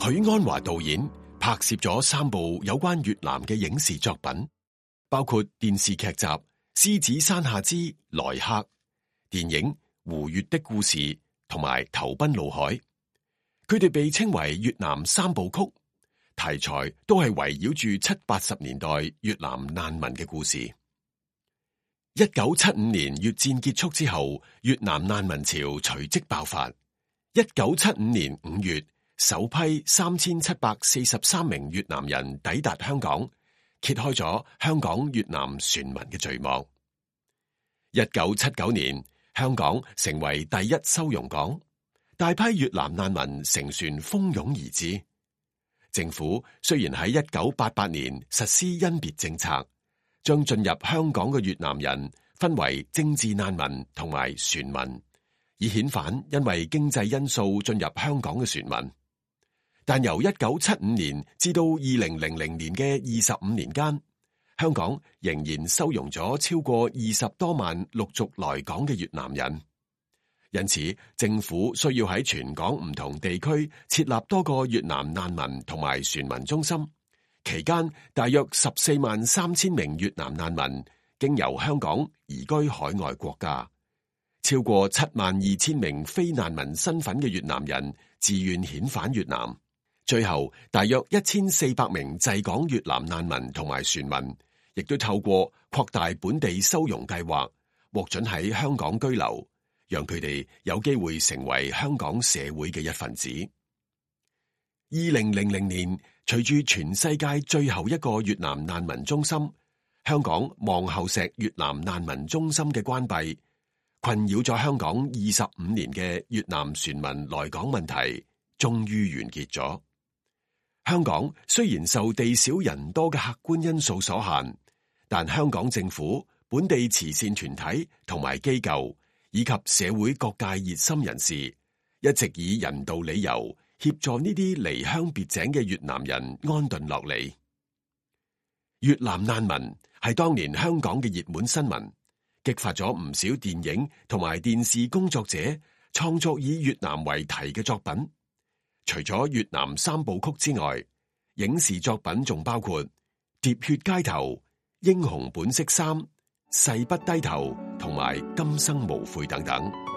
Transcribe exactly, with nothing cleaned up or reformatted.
許鞍華導演拍攝咗三部有關越南嘅影視作品，包括電視劇集《獅子山下之來客》、電影《胡越的故事》同埋《投奔怒海》。佢哋被稱為越南三部曲，題材都係圍繞住七八十年代越南難民嘅故事。一九七五年越戰結束之後，越南難民潮隨即爆發。一九七五年五月，首批三千七百四十三名越南人抵達香港，揭開咗香港越南船民嘅序幕。一九七九年，香港成為第一收容港，大批越南難民乘船蜂擁而至。政府雖然喺一九八八年實施甄別政策，將進入香港嘅越南人分為政治難民同埋船民，以遣返因為經濟因素進入香港嘅船民。但由一九七五年至到二零零零年嘅二十五年間，香港仍然收容咗超過二十多萬陸續來港嘅越南人。因此，政府需要喺全港唔同地區設立多個越南難民同埋船民中心。期間，大約十四萬三千名越南難民經由香港移居海外國家，超過七萬二千名非難民身份嘅越南人自願遣返越南。最後，大約一千四百名滯港越南難民同埋船民，亦都透過擴大本地收容計劃，獲准喺香港居留，讓佢哋有機會成為香港社會嘅一份子。二零零零年，隨住全世界最後一個越南難民中心——香港望后石越南難民中心嘅關閉，困擾咗香港二十五年嘅越南船民來港問題，終於完結咗。香港雖然受地少人多嘅客觀因素所限，但香港政府、本地慈善團體同埋機構以及社會各界熱心人士，一直以人道理由協助呢啲離鄉別井嘅越南人安頓落嚟。越南難民係當年香港嘅熱門新聞，激發咗唔少電影同埋電視工作者創作以越南為題嘅作品。除咗越南三部曲之外，影視作品仲包括《喋血街頭》、《英雄本色三》、《誓不低頭》同埋《今生無悔》等等。